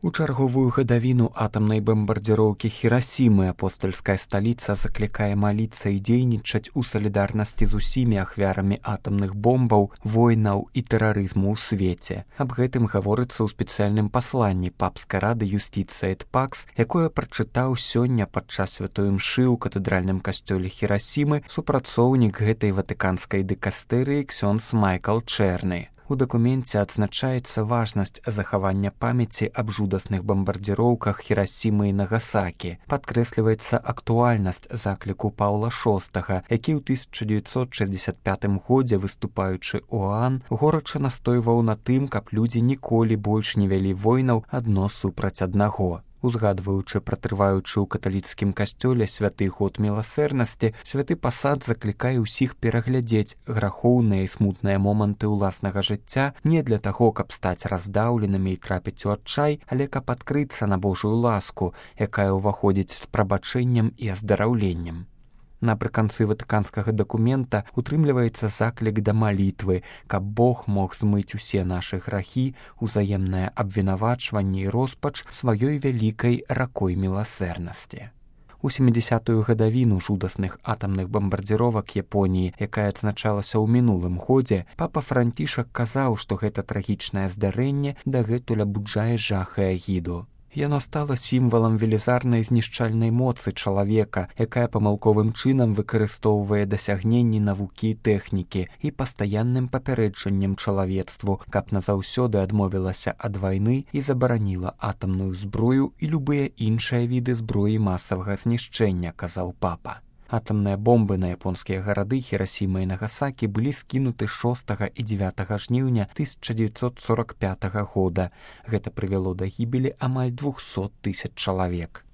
У чарговую гадавіну атамнай бамбардзіроўкі Хірасімы апостальская сталіца заклікае маліцца і дзейнічаць у салідарнасці з усімі ахвярамі атамных бомбаў, войнаў і тэрарызму ў свеце. Аб гэтым гаворыцца ў спецыяльным пасланні папскай рады Юстиция et Pax, якое прачытаў сёння падчас святой імшы ў катэдральным касцёле Хірасімы супрацоўнік гэтай ватыканскай дыкастэрыі ксёндз Майкл Чэрны. У дакуменце адзначаецца важнасць захавання памяці аб жудасных бамбардзіроўках Хірасімы і Нагасакі. Падкрэсліваецца актуальнасць закліку Паўла VI, які ў 1965 годзе, выступаючы ў ОАН, горача настойваў на тым, каб людзі ніколі больш не вялі войнаў адно супраць аднаго. Узгадваючы пра трываючы ў каталіцкім касцёле святы год міласэрнасці, святы пасад заклікае ўсіх пераглядзець грахоўныя і смутныя моманты ўласнага жыцця не для таго, каб стаць раздаўленымі і трапіць у адчай, але каб адкрыцца на Божую ласку, якая ўваходзіць з прабачэннем і аздараўленнем. Напрыканцы ватыканскага дакумента утрымліваецца заклік да малітвы, каб Бог мог змыць усе нашы грахі, узаемнае абвінавачванне і роспач сваёй вялікай ракой міласэрнасці. У 70-ю гадавіну жудасных атамных бамбардзіровак Японіі, якая адзначалася ў мінулым годзе, папа Францішак казаў, што гэта трагічнае здарэнне дагэтуль абуджае жах і агіду. Яно стала сімвалам велізарнай знішчальнай моцы чалавека, якая памылковым чынам выкарыстоўвае дасягненні навукі і тэхнікі і пастаянным папярэджаннем чалавецтву, каб назаўсёды адмовілася ад вайны і забараніла атамную зброю і любыя іншыя віды зброі масавага знішчэння, казаў папа. Атамныя бомбы на японскія гарады Хірасіма і Нагасакі былі скінуты 6 і 9 жніўня 1945 года. Гэта прывяло да гібелі амаль 200 000 чалавек.